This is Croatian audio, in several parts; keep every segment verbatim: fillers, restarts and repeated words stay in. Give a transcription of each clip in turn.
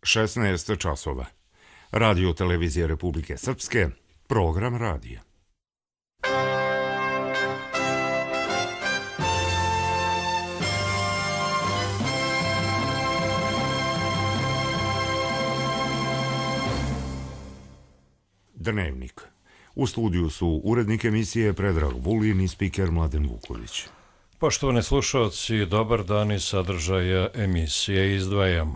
šesnaest časova. Radio televizije Republike Srpske, program radija. Dnevnik. U studiju su urednik emisije Predrag Vulin i spiker Mladen Vuković. Poštovani slušalci, dobar dan iz sadržaja emisije izdvajamo.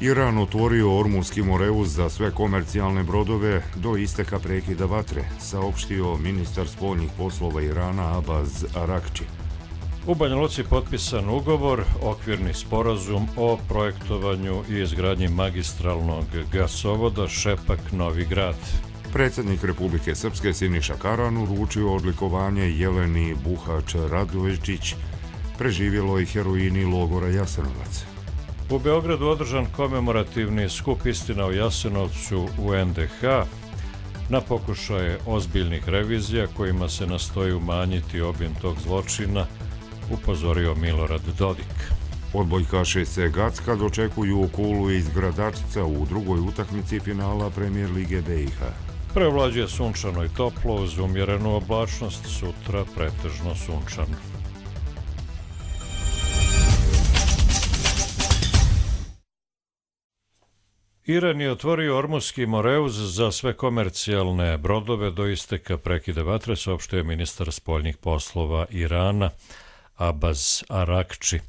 Iran otvorio Ormuzski moreuz za sve komercijalne brodove do isteka prekida vatre, saopštio ministar spoljnih poslova Irana Abbas Arakči. U Banja Luci potpisan ugovor, okvirni sporazum o projektovanju i izgradnji magistralnog gasovoda Šepak-Novi Grad. Predsjednik Republike Srpske Siniša Karan uručio odlikovanje Jeleni Buhač-Radojčić, preživjeloj heroini logora Jasenovac. U Beogradu održan komemorativni skup Istina o Jasenovcu u en de ha na pokušaje ozbiljnih revizija kojima se nastoji umanjiti obim tog zločina, upozorio Milorad Dodik. Odbojkaši se Gacka dočekuju Kulu iz Gradačca u drugoj utakmici finala Premijer Lige be i ha. Prevlađuje sunčano i toplo uz umjerenu oblačnost, sutra pretežno sunčano. Iran je otvorio Ormuzski moreuz za sve komercijalne brodove do isteka prekida vatre, saopštio je ministar spoljnih poslova Irana Abbas Arakči.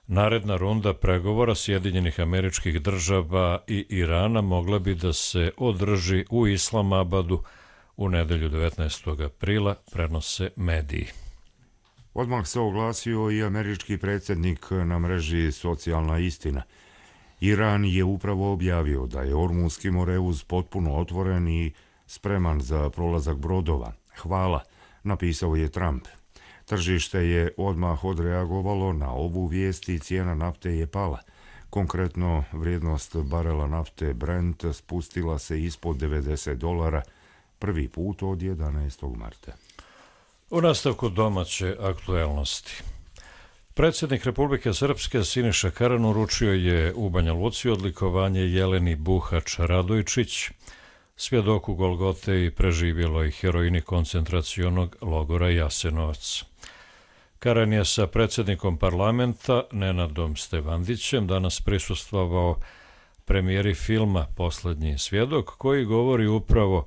Naredna runda pregovora Sjedinjenih Američkih Država i Irana mogla bi da se održi u Islamabadu u nedelju devetnaestog aprila, prenose mediji. Odmah se oglasio i američki predsjednik na mreži Socijalna istina. Iran je upravo objavio da je Ormuzski moreuz potpuno otvoren i spreman za prolazak brodova. Hvala, napisao je Trump. Tržište je odmah odreagovalo na ovu vijest i cijena nafte je pala. Konkretno, vrijednost barela nafte Brent spustila se ispod devedeset dolara prvi put od jedanaestog marta. U nastavku domaće aktuelnosti. Predsjednik Republike Srpske Siniša Karan uručio je u Banja Luci odlikovanje Jeleni Buhač-Radojčić, svjedoku Golgote i preživjeloj heroini koncentracionog logora Jasenovac. Karan je sa predsjednikom parlamenta Nenadom Stevandićem danas prisustvovao premijeri filma Poslednji svjedok, koji govori upravo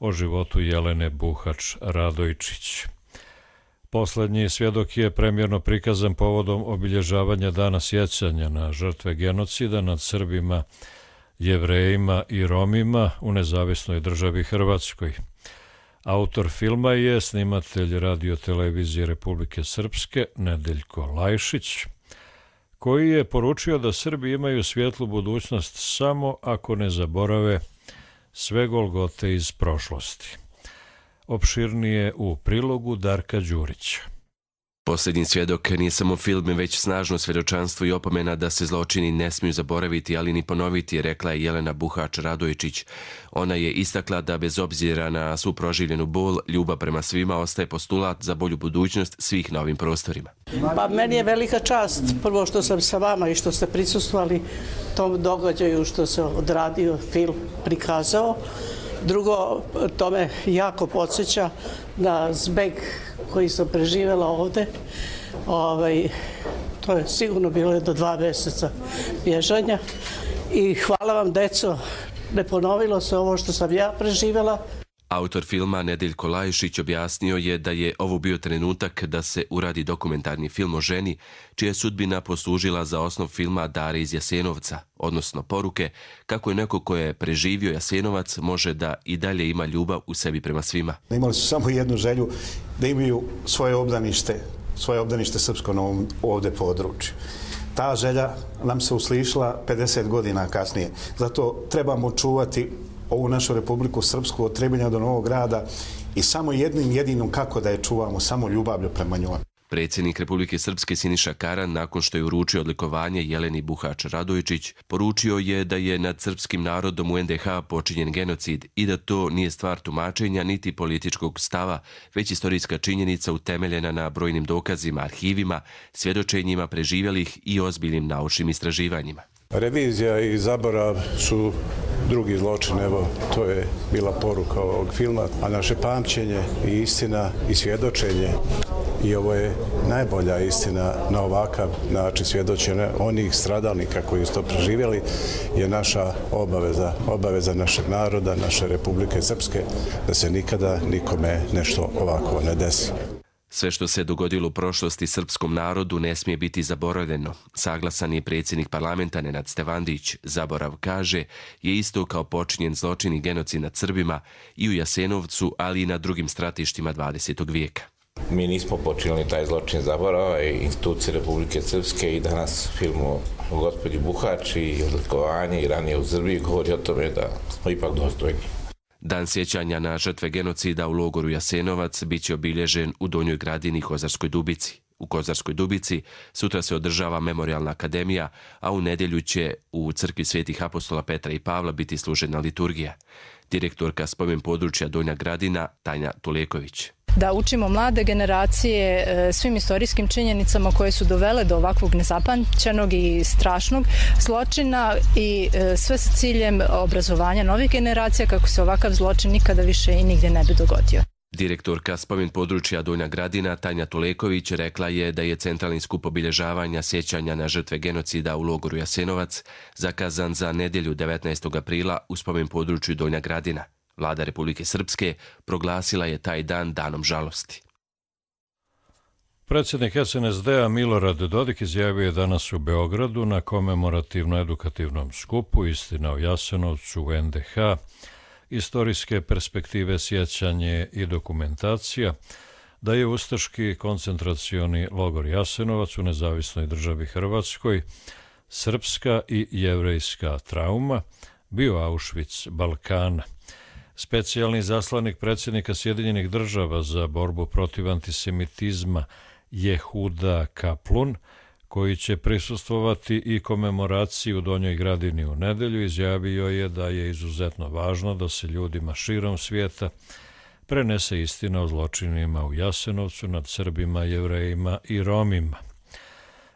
o životu Jelene Buhač-Radojčić. Poslednji svjedok je premijerno prikazan povodom obilježavanja Dana sjećanja na žrtve genocida nad Srbima, Jevrejima i Romima u nezavisnoj državi Hrvatskoj. Autor filma je snimatelj radio televizije Republike Srpske Nedeljko Lajšić, koji je poručio da Srbi imaju svjetlu budućnost samo ako ne zaborave sve golgote iz prošlosti. Opširnije u prilogu Darka Đurića. Posljednji svjedok nije samo film, već snažno svjedočanstvo i opomena da se zločini ne smiju zaboraviti, ali ni ponoviti, rekla je Jelena Buhač-Radojčić. Ona je istakla da bez obzira na svu proživljenu bol, ljubav prema svima ostaje postulat za bolju budućnost svih na ovim prostorima. Pa meni je velika čast, prvo što sam sa vama i što ste prisustvovali tom događaju što se odradio, film prikazao. Drugo, to me jako podsjeća na zbeg koji sam preživjela ovde. Ovaj, to je sigurno bilo do dva mjeseca bježanja. I hvala vam, deco, ne ponovilo se ovo što sam ja preživjela. Autor filma Nedeljko Lajšić objasnio je da je ovo bio trenutak da se uradi dokumentarni film o ženi, čija je sudbina poslužila za osnov filma Dare iz Jasenovca, odnosno poruke kako je neko ko je preživio Jasenovac može da i dalje ima ljubav u sebi prema svima. Imali su samo jednu želju, da imaju svoje obdanište, svoje obdanište srpsko na ovom ovde području. Ta želja nam se uslišila pedeset godina kasnije. Zato trebamo čuvati ovu našu Republiku Srpsku od Trebinja do Novog Grada i samo jednim jedinom kako da je čuvamo, samo ljubavlju prema njoj. Predsjednik Republike Srpske Siniša Karan, nakon što je uručio odlikovanje Jeleni Buhač Radojčić, poručio je da je nad srpskim narodom u en de ha počinjen genocid i da to nije stvar tumačenja niti političkog stava, već istorijska činjenica utemeljena na brojnim dokazima, arhivima, svjedočenjima preživjelih i ozbiljnim naučnim istraživanjima. Revizija i zaborav su drugi zločin, evo, to je bila poruka ovog filma, a naše pamćenje i istina i svjedočenje, i ovo je najbolja istina na ovakav način svjedočenja onih stradalnika koji su to preživjeli, je naša obaveza, obaveza našeg naroda, naše Republike Srpske, da se nikada nikome nešto ovako ne desi. Sve što se dogodilo u prošlosti srpskom narodu ne smije biti zaboravljeno. Saglasan je predsjednik parlamenta Nenad Stevandić. Zaborav, kaže, je isto kao počinjen zločin i genocid nad Srbima i u Jasenovcu, ali i na drugim stratištima dvadesetog vijeka. Mi nismo počinili taj zločin zaborava i institucije Republike Srpske i danas film o gospođi Buhač i odlikovanje i ranije u Srbiji govori o tome da smo ipak dostojni. Dan sjećanja na žrtve genocida u logoru Jasenovac bit će obilježen u Donjoj Gradini i Kozarskoj Dubici. U Kozarskoj Dubici sutra se održava memorijalna akademija, a u nedjelju će u crkvi svetih apostola Petra i Pavla biti služena liturgija. Direktorka spomen područja Donja Gradina Tanja Tuleković. Da učimo mlade generacije svim istorijskim činjenicama koje su dovele do ovakvog nezapamćenog i strašnog zločina i sve sa ciljem obrazovanja novih generacija kako se ovakav zločin nikada više i nigdje ne bi dogodio. Direktorka spomen područja Donja Gradina Tanja Tuleković rekla je da je centralni skup obilježavanja sjećanja na žrtve genocida u logoru Jasenovac zakazan za nedjelju devetnaestog aprila u spomen području Donja Gradina. Vlada Republike Srpske proglasila je taj dan danom žalosti. Predsjednik es en es de-a Milorad Dodik izjavio je danas u Beogradu na komemorativno-edukativnom skupu Istina o Jasenovcu u en de ha, istorijske perspektive, sjećanje i dokumentacija, da je ustaški koncentracioni logor Jasenovac u nezavisnoj državi Hrvatskoj srpska i jevrejska trauma, bio Auschwitz Balkana. Specijalni zaslanik predsjednika Sjedinjenih država za borbu protiv antisemitizma Jehuda Kaplun, koji će prisustvovati i komemoraciji u Donjoj Gradini u nedjelju, izjavio je da je izuzetno važno da se ljudima širom svijeta prenese istina o zločinima u Jasenovcu nad Srbima, Jevrejima i Romima.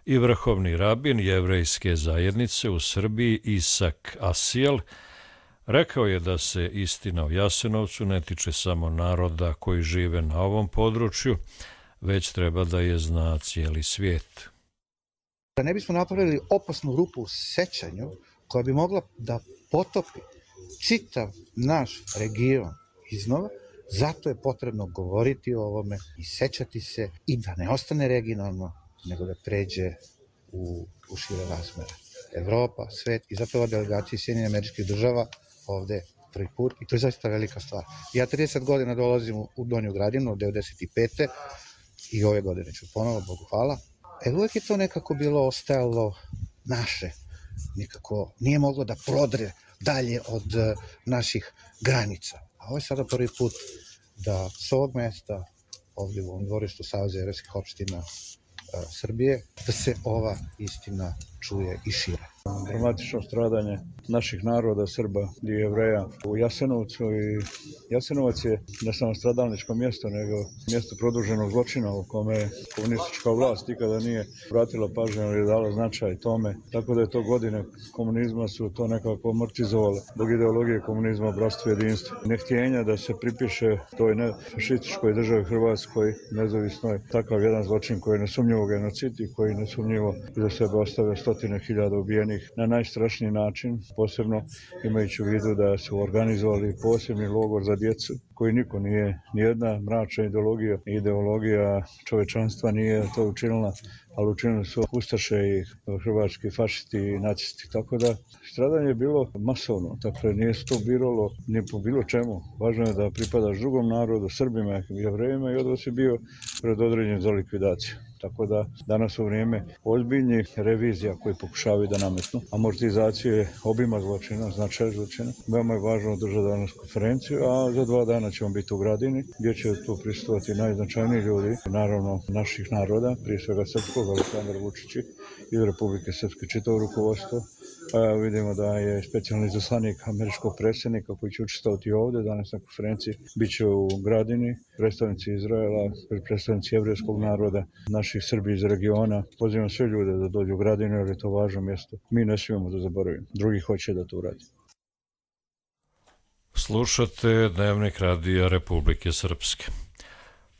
I vrhovni rabin jevrejske zajednice u Srbiji Isak Asijel rekao je da se istina o Jasenovcu ne tiče samo naroda koji žive na ovom području, već treba da je zna cijeli svijet. Da ne bismo napravili opasnu rupu u sećanju koja bi mogla da potopi čitav naš region iznova, zato je potrebno govoriti o ovome i sećati se i da ne ostane regionalno, nego da pređe u, u šire razmere. Evropa, svet i zato ova delegacija Sjedinjenih Američkih Država ovde prvi put i to je zaista velika stvar. Ja trideset godina dolazim u Donju Gradinu od devedeset pete i ove godine ću ponovo, Bogu hvala. E uvijek je to nekako bilo ostajalo naše, nikako nije moglo da prodre dalje od naših granica. A ovo je sada prvi put da s ovog mesta, ovdje u ovom dvorištu Saveza jevrejskih opština Srbije, da se ova istina čuje i šire. Dramatično stradanje naših naroda, Srba i Jevreja u Jasenovcu i Jasenovac je ne samo stradalničko mjesto, nego mjesto produženog zločina u kome komunistička vlast nikada nije vratila pažnju ili dala značaj tome. Tako da je to godine komunizma su to nekako amortizovale zbog ideologije komunizma, bratstva i jedinstva. Nehtjenja da se pripiše toj ne fašističkoj državi Hrvatskoj, nezavisnoj, takav jedan zločin koji je nesumnjivo genocid i koji nesumnjivo iza sebe ostavlja stotine hiljada ubijenih na najstrašniji način, posebno imajući u vidu da su organizovali posebni logor za djecu koji niko nije, nijedna mračna ideologija i ideologija čovečanstva nije to učinila, ali učinili su ustaše i hrvatski fašisti i nacisti. Tako da stradanje je bilo masovno, dakle nije se to biralo ni po bilo čemu. Važno je da pripadaš drugom narodu, Srbima i Jevrejima i odvod si bio predodređen za likvidaciju. Tako da danas u vrijeme ozbiljnih revizija koji pokušavaju da nametnu amortizacije obima zločina, značaj zločina, veoma je važno održati danas konferenciju, a za dva dana ćemo biti u Gradini, gdje će tu prisustvovati najznačajniji ljudi, naravno naših naroda, prije svega srpskog, Aleksandar Vučić iz Republike Srpske, čitavo rukovodstvo. A vidimo da je specijalni izaslanik američkog predsjednika koji će učestvovati ovdje danas na konferenciji, bit će u Gradini, predstavnici Izraela, predstavnici jevrejskog naroda, naših Srbi iz regiona. Pozivam sve ljude da dođu u Gradinu jer je to važno mjesto. Mi ne smijemo da zaboravimo. Drugi hoće da to uradi. Slušate Dnevnik radija Republike Srpske.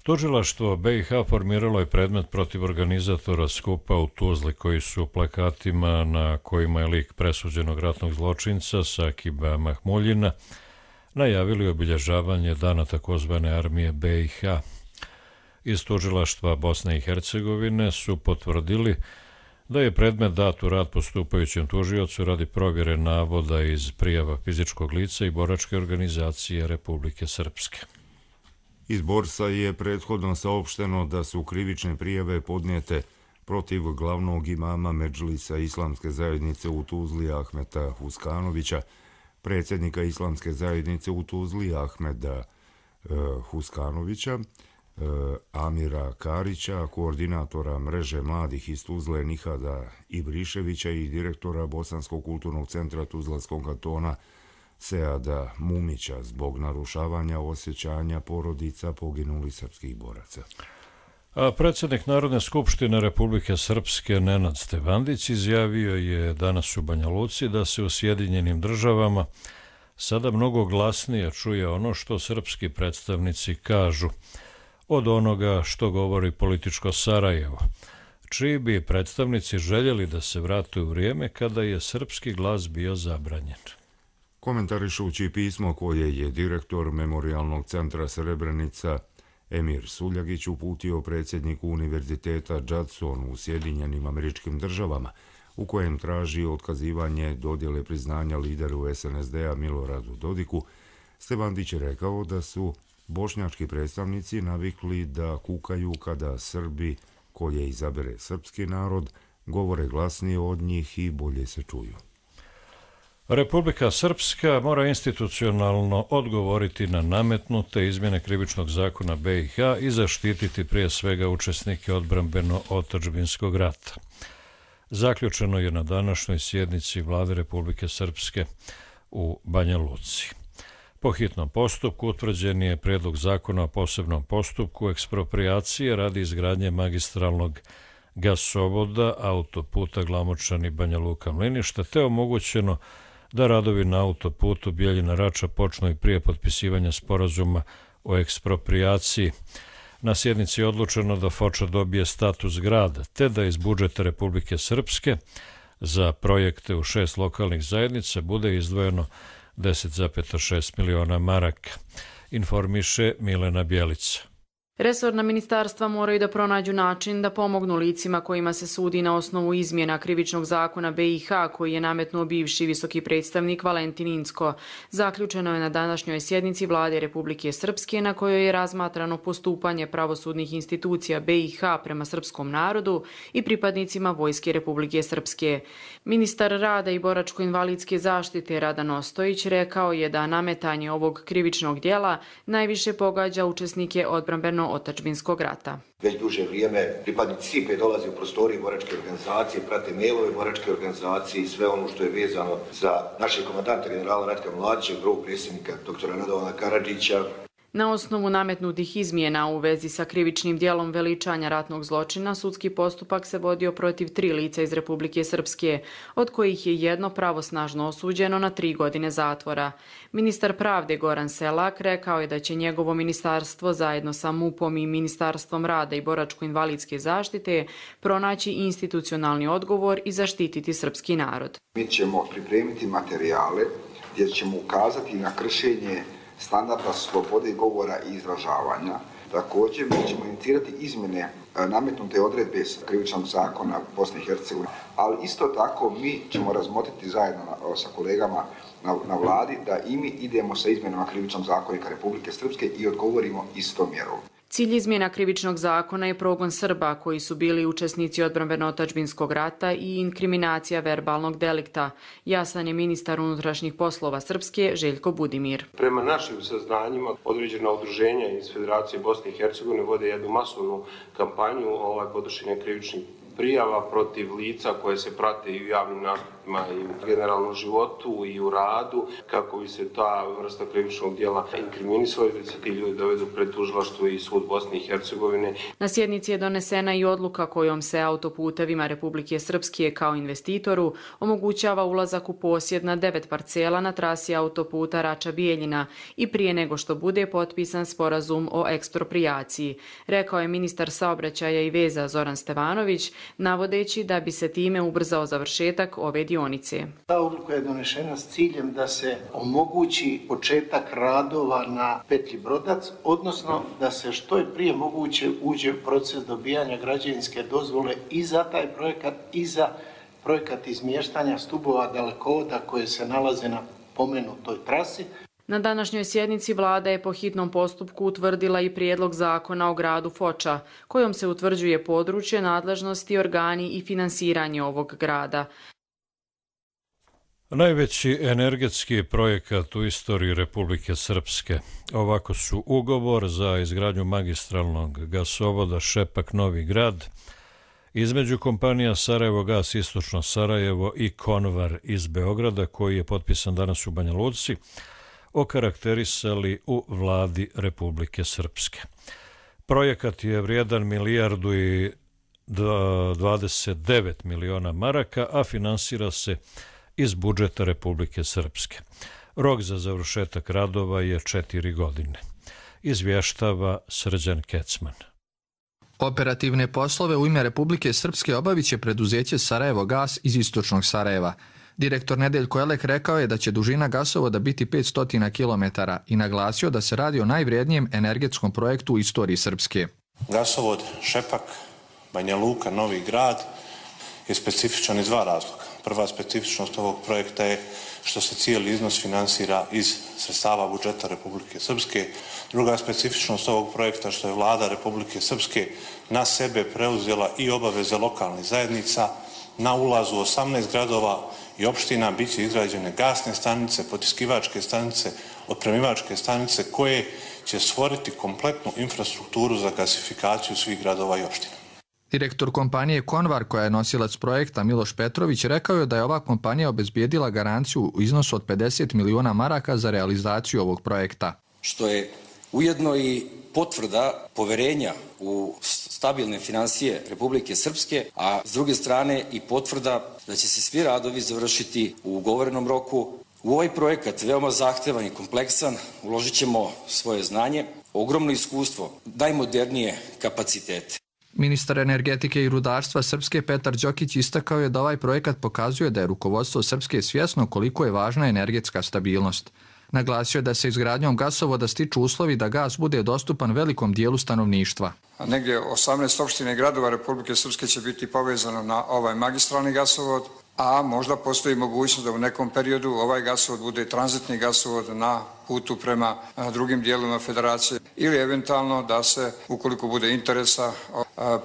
Tužilaštvo B i H formiralo je predmet protiv organizatora skupa u Tuzli koji su plakatima na kojima je lik presuđenog ratnog zločinca Sakiba Mahmuljina najavili obilježavanje dana takozvane armije B i H. Iz tužilaštva Bosne i Hercegovine su potvrdili da je predmet dat u rad postupajućem tužiocu radi provjere navoda iz prijava fizičkog lica i boračke organizacije Republike Srpske. Iz Borsa je prethodno saopšteno da su krivične prijave podnijete protiv glavnog imama Medžlisa Islamske zajednice u Tuzli Ahmeta Huskanovića, predsjednika Islamske zajednice u Tuzli Ahmeda e, Huskanovića, e, Amira Karića, koordinatora mreže mladih iz Tuzle Nihada Ibriševića i direktora Bosanskog kulturnog centra Tuzlanskog kantona Seada Mumića zbog narušavanja osjećanja porodica poginulih srpskih boraca. A predsjednik Narodne skupštine Republike Srpske Nenad Stevandić izjavio je danas u Banja Luci da se u Sjedinjenim državama sada mnogo glasnije čuje ono što srpski predstavnici kažu od onoga što govori političko Sarajevo, čiji bi predstavnici željeli da se vrate u vrijeme kada je srpski glas bio zabranjen. Komentarišući pismo koje je direktor Memorialnog centra Srebrenica Emir Suljagić uputio predsjedniku Univerziteta Judson u Sjedinjenim Američkim Državama, u kojem traži otkazivanje dodjele priznanja lideru S N S D-a Miloradu Dodiku, Stevandić je rekao da su bošnjački predstavnici navikli da kukaju kada Srbi, koje izabere srpski narod, govore glasnije od njih i bolje se čuju. Republika Srpska mora institucionalno odgovoriti na nametnute izmjene krivičnog zakona B i H i zaštititi prije svega učesnike odbrambeno-otadžbinskog rata. Zaključeno je na današnjoj sjednici Vlade Republike Srpske u Banja Luci. Po hitnom postupku utvrđen je prijedlog zakona o posebnom postupku ekspropriacije radi izgradnje magistralnog gasovoda autoputa Glamočani Banja Luka Mlinište, te omogućeno da radovi na autoputu Bijeljina Rača počnu i prije potpisivanja sporazuma o eksproprijaciji. Na sjednici je odlučeno da Foča dobije status grada, te da iz budžeta Republike Srpske za projekte u šest lokalnih zajednica bude izdvojeno deset zarez šest miliona maraka, informiše Milena Bjelica. Resorna ministarstva moraju da pronađu način da pomognu licima kojima se sudi na osnovu izmjena krivičnog zakona B i H koji je nametnuo bivši visoki predstavnik Valentin Incko. Zaključeno je na današnjoj sjednici Vlade Republike Srpske na kojoj je razmatrano postupanje pravosudnih institucija B i H prema srpskom narodu i pripadnicima Vojske Republike Srpske. Ministar rada i boračko-invalidske zaštite Radan Ostojić rekao je da nametanje ovog krivičnog djela najviše pogađa učesnike odbrambeno otadžbinskog rata. Već duže vrijeme pripadnici S I P-e dolaze u prostorije boračke organizacije, prate mailove boračke organizacije i sve ono što je vezano za našeg komandanta generala Ratka Mladića, prvog predsjednika doktora Radovana Karadžića. Na osnovu nametnutih izmjena u vezi sa krivičnim djelom veličanja ratnog zločina, sudski postupak se vodio protiv tri lica iz Republike Srpske, od kojih je jedno pravosnažno osuđeno na tri godine zatvora. Ministar pravde Goran Selak rekao je da će njegovo ministarstvo zajedno sa M U P-om i Ministarstvom rada i boračko-invalidske zaštite pronaći institucionalni odgovor i zaštititi srpski narod. Mi ćemo pripremiti materijale gdje ćemo ukazati na kršenje standarda slobode govora i izražavanja. Također mi ćemo inicirati izmjene nametnute odredbe krivičnog zakona Bosne i Hercegovine, ali isto tako mi ćemo razmotriti zajedno sa kolegama na, na vladi da i mi idemo sa izmjenama krivičnog zakonika Republike Srpske i odgovorimo istom mjerom. Cilj izmjena krivičnog zakona je progon Srba koji su bili učesnici odbrambeno-otadžbinskog rata i inkriminacija verbalnog delikta. Jasan je ministar unutrašnjih poslova Srpske Željko Budimir. Prema našim saznanjima, određena udruženja iz Federacije Bosne i Hercegovine vode jednu masovnu kampanju ovaj, podnošenja krivičnih prijava protiv lica koje se prate i u javnim nastupima i u generalnom životu i u radu, kako bi se ta vrsta krivičnog djela inkriminisala i da se ti ljudi dovedu pred tužilaštvo i sud Bosne i Hercegovine. Na sjednici je donesena i odluka kojom se autoputevima Republike Srpske kao investitoru omogućava ulazak u posjed na devet parcela na trasi autoputa Rača-Bijeljina i prije nego što bude potpisan sporazum o eksproprijaciji, rekao je ministar saobraćaja i veza Zoran Stevanović, navodeći da bi se time ubrzao završetak ove dionice. Ta odluka je donešena s ciljem da se omogući početak radova na petlji Brodac, odnosno da se što je prije moguće uđe u proces dobijanja građevinske dozvole i za taj projekat i za projekat izmještanja stubova dalekovoda koje se nalaze na pomenutoj trasi. Na današnjoj sjednici vlada je po hitnom postupku utvrdila i prijedlog zakona o gradu Foča, kojom se utvrđuje područje, nadležnosti, organi i finansiranje ovog grada. Najveći energetski projekat u istoriji Republike Srpske. Ovako su ugovor za izgradnju magistralnog gasovoda Šepak-Novi Grad između kompanija Sarajevo Gas Istočno Sarajevo i Konvar iz Beograda, koji je potpisan danas u Banja Luci, okarakterisali u vladi Republike Srpske. Projekat je vrijedan milijardu i dvadeset devet miliona maraka, a finansira se iz budžeta Republike Srpske. Rok za završetak radova je četiri godine. Izvještava Srđan Kecman. Operativne poslove u ime Republike Srpske obavit će preduzeće Sarajevo Gas iz Istočnog Sarajeva. Direktor Nedeljko Elek rekao je da će dužina gasovoda biti petsto kilometara i naglasio da se radi o najvrijednijem energetskom projektu u istoriji Srpske. Gasovod Šepak, Banja Luka, Novi Grad je specifičan iz dva razloga. Prva specifičnost ovog projekta je što se cijeli iznos finansira iz sredstava budžeta Republike Srpske. Druga specifičnost ovog projekta što je vlada Republike Srpske na sebe preuzela i obaveze lokalnih zajednica. Na ulazu osamnaest gradova i opština bit će izgrađene gasne stanice, potiskivačke stanice, otpremivačke stanice koje će stvoriti kompletnu infrastrukturu za gasifikaciju svih gradova i opština. Direktor kompanije Konvar, koja je nosilac projekta, Miloš Petrović, rekao je da je ova kompanija obezbijedila garanciju u iznosu od pedeset miliona maraka za realizaciju ovog projekta. Što je ujedno i potvrda poverenja u stabilne financije Republike Srpske, a s druge strane i potvrda da će se svi radovi završiti u ugovorenom roku. U ovaj projekat, veoma zahtevan i kompleksan, uložit ćemo svoje znanje, ogromno iskustvo, najmodernije kapacitete. Ministar energetike i rudarstva Srpske Petar Đokić istakao je da ovaj projekat pokazuje da je rukovodstvo Srpske svjesno koliko je važna energetska stabilnost. Naglasio je da se izgradnjom gasovoda stiču uslovi da gas bude dostupan velikom dijelu stanovništva. A negdje osamnaest opština i gradova Republike Srpske će biti povezano na ovaj magistralni gasovod, a možda postoji mogućnost da u nekom periodu ovaj gasovod bude tranzitni gasovod na putu prema drugim dijelovima federacije ili eventualno da se, ukoliko bude interesa,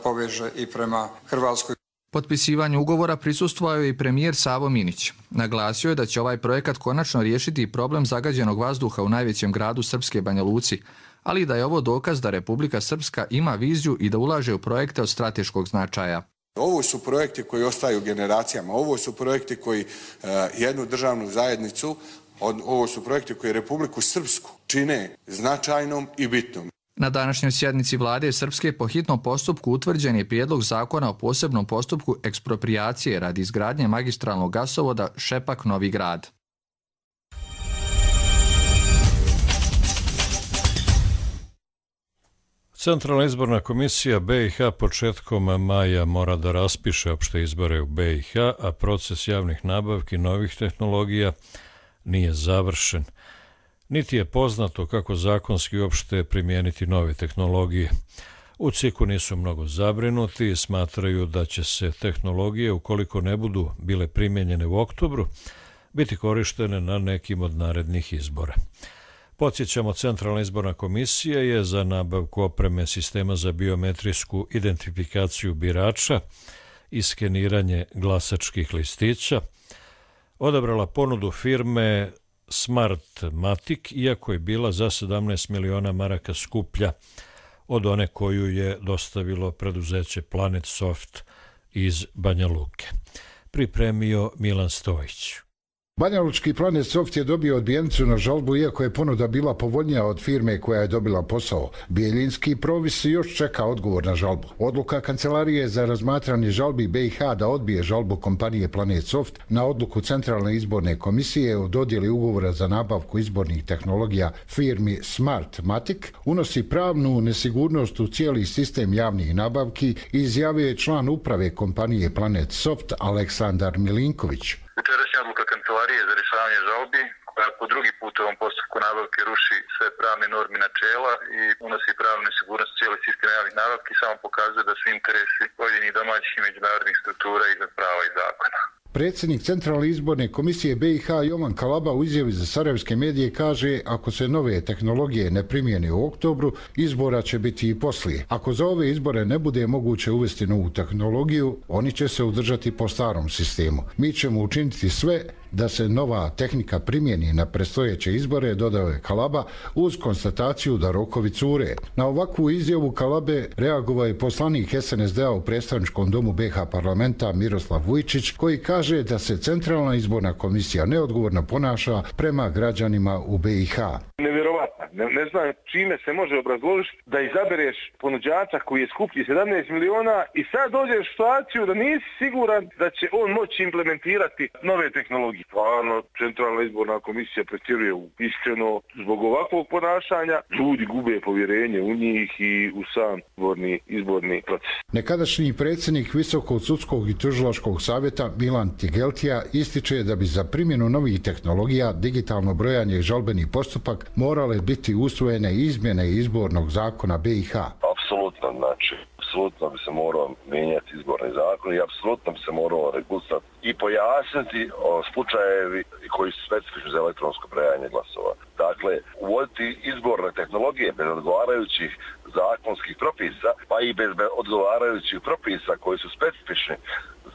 poveže i prema Hrvatskoj. Potpisivanju ugovora prisustvovao je i premijer Savo Minić. Naglasio je da će ovaj projekat konačno riješiti problem zagađenog vazduha u najvećem gradu Srpske, Banja Luci, ali da je ovo dokaz da Republika Srpska ima viziju i da ulaže u projekte od strateškog značaja. Ovo su projekti koji ostaju generacijama, ovo su projekti koji uh, jednu državnu zajednicu, ovo su projekti koji Republiku Srpsku čine značajnom i bitnom. Na današnjoj sjednici vlade Srpske po hitnom postupku utvrđen je prijedlog zakona o posebnom postupku eksproprijacije radi izgradnje magistralnog gasovoda Šepak-Novi Grad. Centralna izborna komisija B i H početkom maja mora da raspiše opšte izbore u B i H, a proces javnih nabavki novih tehnologija nije završen. Niti je poznato kako zakonski uopšte primijeniti nove tehnologije. U C I K-u nisu mnogo zabrinuti i smatraju da će se tehnologije, ukoliko ne budu bile primijenjene u oktobru, biti korištene na nekim od narednih izbora. Podsjećamo, Centralna izborna komisija je za nabavku opreme sistema za biometrijsku identifikaciju birača i skeniranje glasačkih listića odabrala ponudu firme Smartmatic, iako je bila za sedamnaest miliona maraka skuplja od one koju je dostavilo preduzeće Planet Soft iz Banja Luke. Pripremio Milan Stojić. Banjalučki Planet Soft je dobio odbijenicu na žalbu, iako je ponuda bila povoljnija od firme koja je dobila posao. Bijeljinski provis još čeka odgovor na žalbu. Odluka Kancelarije za razmatranje žalbi B i H da odbije žalbu kompanije Planet Soft na odluku Centralne izborne komisije o dodjeli ugovora za nabavku izbornih tehnologija firmi Smartmatic unosi pravnu nesigurnost u cijeli sistem javnih nabavki, izjavio je član uprave kompanije Planet Soft Aleksandar Milinković. Jučerašnja odluka Kancelarije za rješavanje žalbi, koja po drugi put u ovom postupku nabavke ruši sve pravne norme načela i unosi pravnu nesigurnost u cijeli sistem javnih nabavki, samo pokazuje da su interesi pojedinih domaćih i međunarodnih struktura iznad prava i zakona. Predsjednik Centralne izborne komisije B i H Jovan Kalaba u izjavi za sarajevske medije kaže, ako se nove tehnologije ne primijene u oktobru, izbora će biti i poslije. Ako za ove izbore ne bude moguće uvesti novu tehnologiju, oni će se udržati po starom sistemu. Mi ćemo učiniti sve da se nova tehnika primjeni na predstojeće izbore, dodao je Kalaba, uz konstataciju da rokovi cure. Na ovakvu izjavu Kalabe reagovao je poslanik S N S D-a u predstavničkom domu B i H parlamenta Miroslav Vujčić, koji kaže da se Centralna izborna komisija neodgovorno ponaša prema građanima u B i H. Nevjerovatno. Ne, ne znam čime se može obrazložiti da izabereš ponuđača koji je skuplji sedamnaest miliona i sad dođeš u situaciju da nisi siguran da će on moći implementirati nove tehnologije. Stvarno, Centralna izborna komisija pretjeruje iskreno zbog ovakvog ponašanja. Ljudi gube povjerenje u njih i u sam izborni, izborni proces. Nekadašnji predsjednik Visokog sudskog i tužilačkog savjeta Milan Tigeltija ističe da bi za primjenu novih tehnologija digitalno brojanje i žalbeni postupak morale biti usvojene izmjene izbornog zakona B i H. Apsolutno, znači, apsolutno bi se morao mijenjati izborni zakon i apsolutno bi se morao regulirati i pojasniti o slučajevi koji su specifični za elektronsko brojanje glasova. Dakle, uvoditi izborne tehnologije bez odgovarajućih zakonskih propisa, pa i bez odgovarajućih propisa koji su specifični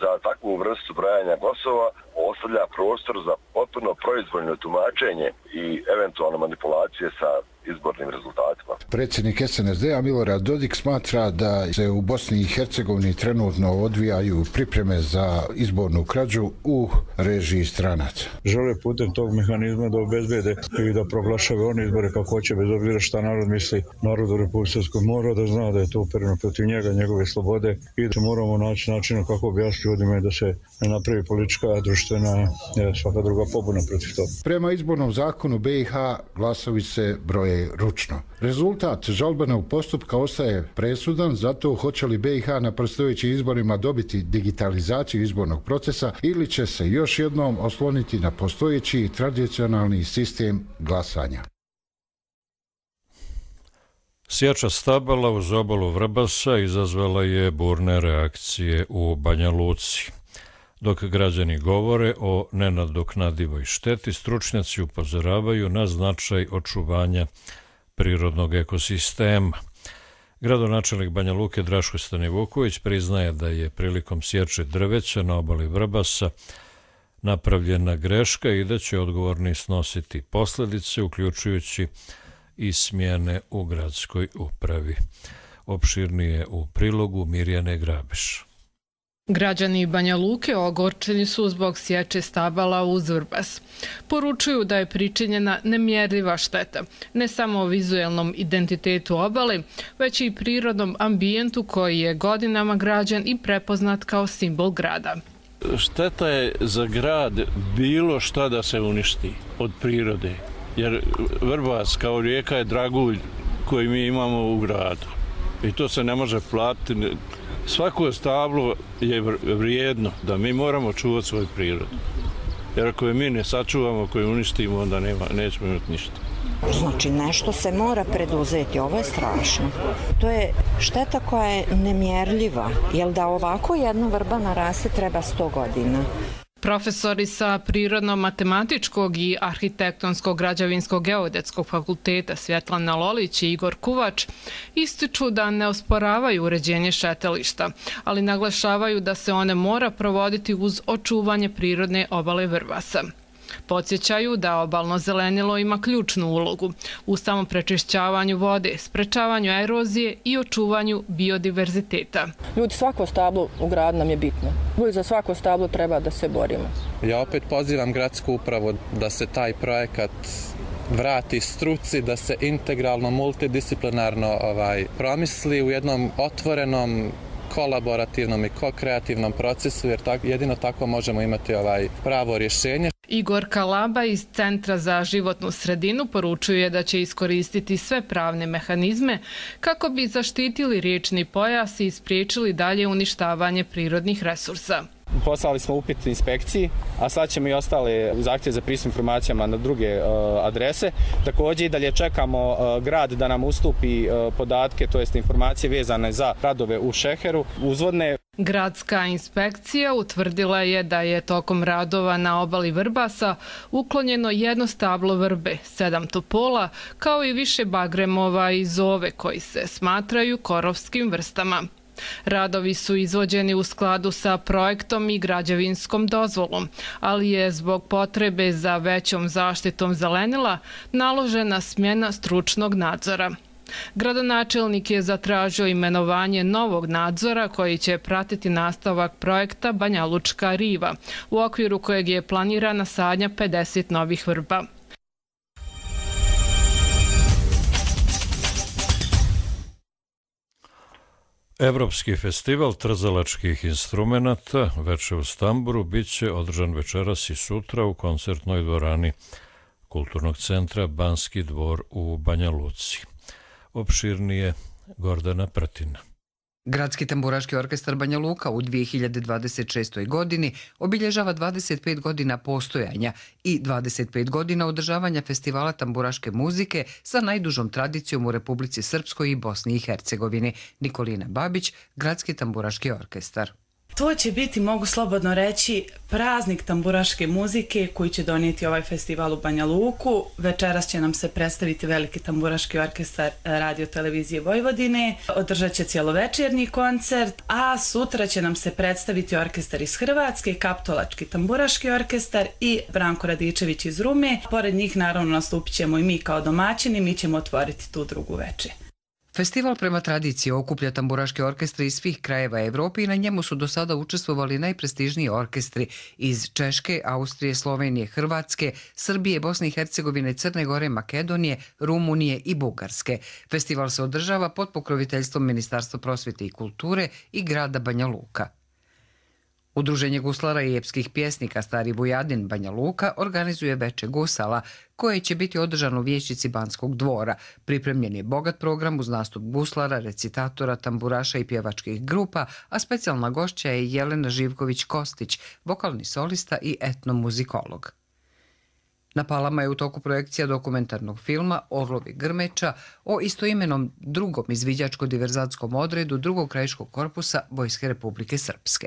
za takvu vrstu brojanja glasova, ostavlja prostor za potpuno proizvoljno tumačenje i eventualno manipulacije sa izbornim rezultatima. Predsjednik S N S D-a Milorad Dodik smatra da se u Bosni i Hercegovini trenutno odvijaju pripreme za izbornu krađu u režiji stranaca. Žele putem tog mehanizma da obezbede i da proglašave one izbore kako hoće, bez obzira šta narod misli. Narod u Republici Srpskoj mora da zna da je to upereno protiv njega, njegove slobode i da moramo naći načina kako objasniti ljudima da se ne napravi politička, društvena, svaka druga pobuna protiv toga. Prema izbornom zakonu B i H glasovi se broje ručno. Rezultat žalbenog postupka ostaje presudan, zato hoće li B i H na predstojećim izborima dobiti digitalizaciju izbornog procesa ili će se još jednom osloniti na postojeći tradicionalni sistem glasanja. Sjeća stabala uz obalu Vrbasa izazvala je burne reakcije u Banja Luci. Dok građani govore o nenadoknadivoj šteti, stručnjaci upozoravaju na značaj očuvanja prirodnog ekosistema. Gradonačelnik Banja Luke Draško Stanivuković priznaje da je prilikom sječe drveća na obali Vrbasa napravljena greška i da će odgovorni snositi posljedice, uključujući i smjene u gradskoj upravi. Opširnije u prilogu Mirjane Grabiš. Građani Banja Luke ogorčeni su zbog sječe stabala uz Vrbas. Poručuju da je pričinjena nemjerljiva šteta, ne samo vizuelnom identitetu obale, već i prirodnom ambijentu koji je godinama građen i prepoznat kao simbol grada. Šteta je za grad bilo šta da se uništi od prirode, jer Vrbas kao rijeka je dragulj koji mi imamo u gradu i to se ne može platiti. Svako stablo je vrijedno, da mi moramo čuvati svoju prirodu. Jer ako je mi ne sačuvamo, ako je uništimo, onda nema, nećemo imati ništa. Znači, nešto se mora preduzeti, ovo je strašno. To je šteta koja je nemjerljiva, jer da ovako jedna vrba naraste treba sto godina. Profesori sa Prirodno-matematičkog i Arhitektonsko-građevinskog geodetskog fakulteta Svjetlana Lolić i Igor Kuvač ističu da ne osporavaju uređenje šetališta, ali naglašavaju da se one mora provoditi uz očuvanje prirodne obale Vrbasa. Podsjećaju da obalno zelenilo ima ključnu ulogu u samoprečišćavanju vode, sprečavanju erozije i očuvanju biodiverziteta. Ljudi, svako stablo u gradu nam je bitno. Ljudi, za svako stablo treba da se borimo. Ja opet pozivam gradsku upravu da se taj projekat vrati struci, da se integralno, multidisciplinarno ovaj, promisli u jednom otvorenom, kolaborativnom i ko-kreativnom procesu, jer tak, jedino tako možemo imati ovaj pravo rješenje. Igor Kalaba iz Centra za životnu sredinu poručuje da će iskoristiti sve pravne mehanizme kako bi zaštitili riječni pojas i spriječili dalje uništavanje prirodnih resursa. Poslali smo upit inspekciji, a sad ćemo i ostale zahtjeve za pristup informacijama na druge uh, adrese. Također i dalje čekamo uh, grad da nam ustupi uh, podatke, to jest informacije vezane za radove u Šeheru, uzvodne. Gradska inspekcija utvrdila je da je tokom radova na obali Vrbasa uklonjeno jedno stablo vrbe, sedam topola, kao i više bagremova i zove koji se smatraju korovskim vrstama. Radovi su izvođeni u skladu sa projektom i građevinskom dozvolom, ali je zbog potrebe za većom zaštitom zelenila naložena smjena stručnog nadzora. Gradonačelnik je zatražio imenovanje novog nadzora koji će pratiti nastavak projekta Banjalučka riva, u okviru kojeg je planirana sadnja pedeset novih vrba. Evropski festival trzalačkih instrumenata Veče u Stamburu bit će održan večeras i sutra u koncertnoj dvorani Kulturnog centra Banski dvor u Banja Luci. Opširnije Gordana Pratina. Gradski tamburaški orkestar Banja Luka u dvije hiljade dvadeset šestoj. godini obilježava dvadeset pet godina postojanja i dvadeset pet godina održavanja festivala tamburaške muzike sa najdužom tradicijom u Republici Srpskoj i Bosni i Hercegovini. Nikolina Babić, Gradski tamburaški orkestar. To će biti, mogu slobodno reći, praznik tamburaške muzike koji će donijeti ovaj festival u Banja Luku. Večeras će nam se predstaviti veliki tamburaški orkestar Radio televizije Vojvodine. Održat će cjelovečernji koncert, a sutra će nam se predstaviti orkestar iz Hrvatske, Kaptolački tamburaški orkestar i Branko Radičević iz Rume. Pored njih naravno nastupit ćemo i mi kao domaćini, mi ćemo otvoriti tu drugu večer. Festival prema tradiciji okuplja tamburaške orkestre iz svih krajeva Evrope i na njemu su do sada učestvovali najprestižniji orkestri iz Češke, Austrije, Slovenije, Hrvatske, Srbije, Bosne i Hercegovine, Crne Gore, Makedonije, Rumunije i Bugarske. Festival se održava pod pokroviteljstvom Ministarstva prosvjete i kulture i grada Banja Luka. Udruženje guslara i epskih pjesnika Stari Vujadin Banja Luka organizuje Veče gusala, koje će biti održano u vijećnici Banskog dvora. Pripremljen je bogat program uz nastup guslara, recitatora, tamburaša i pjevačkih grupa, a specijalna gošća je Jelena Živković-Kostić, vokalni solista i etnomuzikolog. Na Palama je u toku projekcija dokumentarnog filma Orlovi Grmeča o istoimenom drugom izviđačko-diverzatskom odredu drugog krajiškog korpusa Vojske Republike Srpske.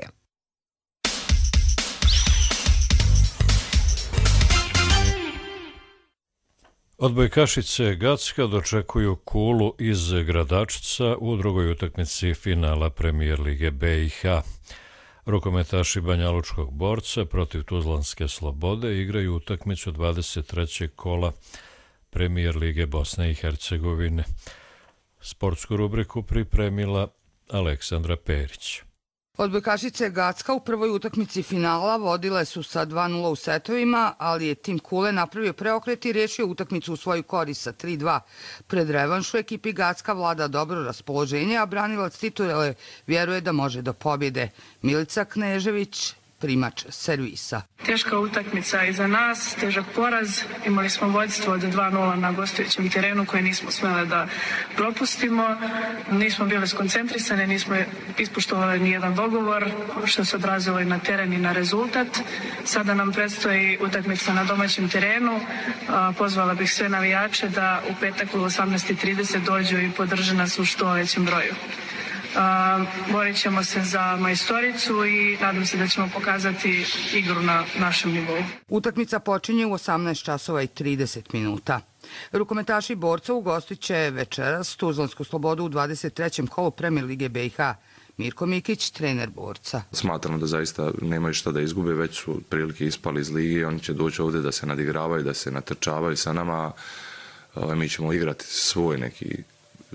Odbojkašice Gacka dočekuju Kulu iz Gradačca u drugoj utakmici finala Premijer lige B i H. Rukometaši Banjalučkog Borca protiv Tuzlanske Slobode igraju utakmicu dvadeset trećeg kola Premijer lige Bosne i Hercegovine. Sportsku rubriku pripremila Aleksandra Perić. Odbojkašice Gacka u prvoj utakmici finala vodile su sa dva nula u setovima, ali je tim Kule napravio preokret i riješio utakmicu u svoju korist sa tri dva. Pred revanšu ekipi Gacka vlada dobro raspoloženje, a branilac titule vjeruje da može do pobjede. Milica Knežević, primač servisa. Teška utakmica iza nas, težak poraz. Imali smo vodstvo od dva nula na gostujućem terenu koje nismo smjeli da propustimo. Nismo bili skoncentrisani, nismo ispoštovali nijedan dogovor, što se odrazilo i na teren i na rezultat. Sada nam predstoji utakmica na domaćem terenu. Pozvala bih sve navijače da u petak u osamnaest i trideset dođu i podrže nas u što većem broju. Borit ćemo se za majstoricu i nadam se da ćemo pokazati igru na našem nivou. Utakmica počinje u osamnaest časova i trideset minuta. Rukometaši borca ugostit će večeras Tuzlansku Slobodu u dvadeset trećem kolu Premijer lige B i H. Mirko Mikić, trener borca. Smatramo da zaista nemaju šta da izgube, već su prilike ispali iz lige i oni će doći ovdje da se nadigravaju, da se natrčavaju sa nama. Mi ćemo igrati svoj neki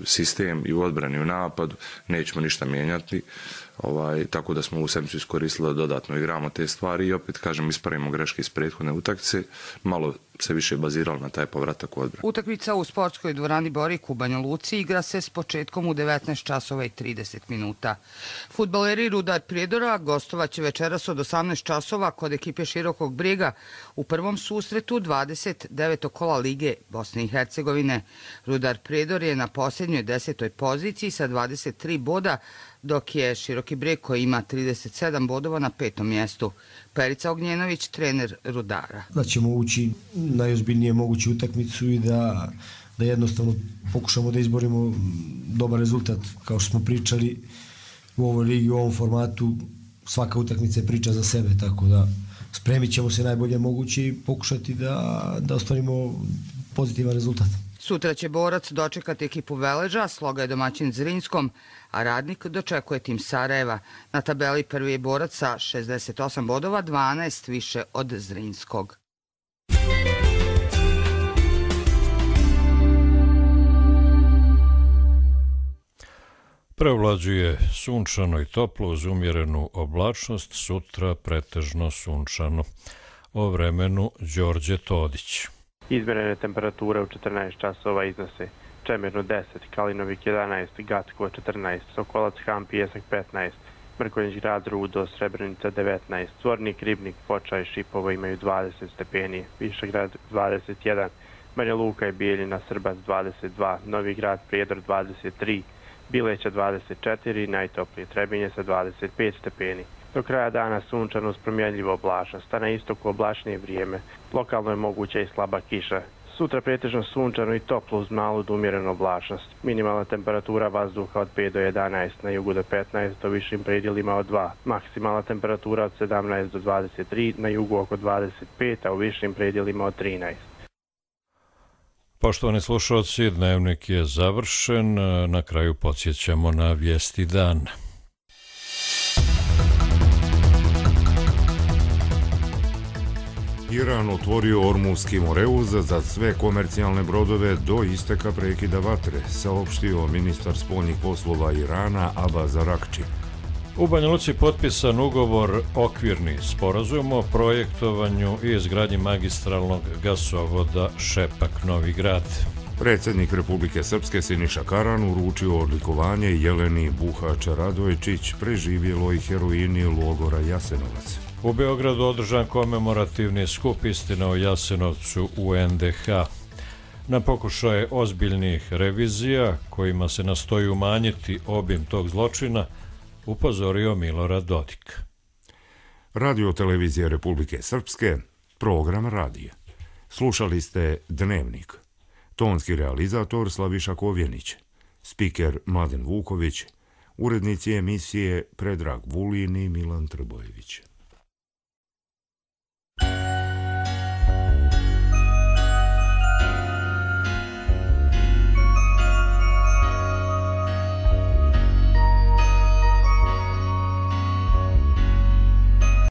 sistem i u odbrani i u napadu, nećemo ništa mijenjati, ovaj, tako da smo u sedmicu iskoristili da dodatno igramo te stvari i opet, kažem, ispravimo greške iz prethodne utakmice, malo se više baziralo na taj povratak u odbranu. Utakmica u sportskoj dvorani Borik u Banja Luci igra se s početkom u devetnaest časova i trideset minuta. Fudbaleri Rudar Prijedora gostovaće večeras od osamnaest časova kod ekipe Širokog Brijega u prvom susretu dvadeset devetog kola Lige Bosne i Hercegovine. Rudar Prijedor je na posljednjoj desetoj poziciji sa dvadeset tri boda, dok je Široki Brijeg koji ima trideset sedam bodova na petom mjestu. Perica Ognjenović, trener Rudara. Da ćemo ući najozbiljnije moguću utakmicu i da, da jednostavno pokušamo da izborimo dobar rezultat. Kao što smo pričali u ovoj ligi, u ovom formatu, svaka utakmica je priča za sebe, tako da spremit ćemo se najbolje moguće i pokušati da, da ostvarimo pozitivan rezultat. Sutra će borac dočekati ekipu Veleža, Sloga je domaćin Zrinskom, a Radnik dočekuje tim Sarajeva. Na tabeli prvi je borac sa šezdeset osam bodova, dvanaest više od Zrinskog. Prevlađuje sunčano i toplo uz umjerenu oblačnost, sutra pretežno sunčano. O vremenu Đorđe Todić. Izmjerene temperature u četrnaest časova iznose Čemirnu deset, Kalinovik jedanaest, Gatkovo četrnaest, Sokolac Han Pijesak petnaest, Mrkonjić Grad Rudo, Srebrenica devetnaest, Zvornik, Ribnik, Foča i Šipovo imaju dvadeset stepeni, Višegrad dvadeset jedan, Banja Luka i Bijeljina, Srbac dvadeset dva, Novi Grad Prijedor dvadeset tri, Bileća dvadeset četiri, najtoplije Trebinje sa dvadeset pet stepeni. Do kraja dana sunčano uz promjenljivo oblačnost, a na istoku oblačnije vrijeme. Lokalno je moguća i slaba kiša. Sutra pretežno sunčano i toplo uz malu do umjerenu oblačnost. Minimalna temperatura vazduha od pet do jedanaest, na jugu do petnaest, do višim predjelima od dva. Maksimalna temperatura od sedamnaest do dvadeset tri, na jugu oko dvadeset pet, a u višim predjelima od trinaest. Poštovani slušalci, dnevnik je završen. Na kraju podsjećamo na vijesti dana. Iran otvorio Ormuzski moreuz za sve komercijalne brodove do isteka prekida vatre, saopštio ministar spoljnih poslova Irana Abbas Araghči. U Banja Luci potpisan ugovor okvirni sporazum o projektovanju i izgradnji magistralnog gasovoda Šepak-Novi Grad. Predsjednik Republike Srpske Siniša Karan uručio odlikovanje Jeleni Buhač-Radojčić, preživjeloj heroini logora Jasenovac. U Beogradu održan komemorativni skup Istina o Jasenovcu u en de ha. Na pokušaje ozbiljnih revizija, kojima se nastoji umanjiti obim tog zločina, upozorio Milorad Dodik. Radio televizija Republike Srpske, program radije. Slušali ste Dnevnik. Tonski realizator Slaviša Kovjenić, spiker Mladen Vuković, urednici emisije Predrag Vulin i Milan Trbojević.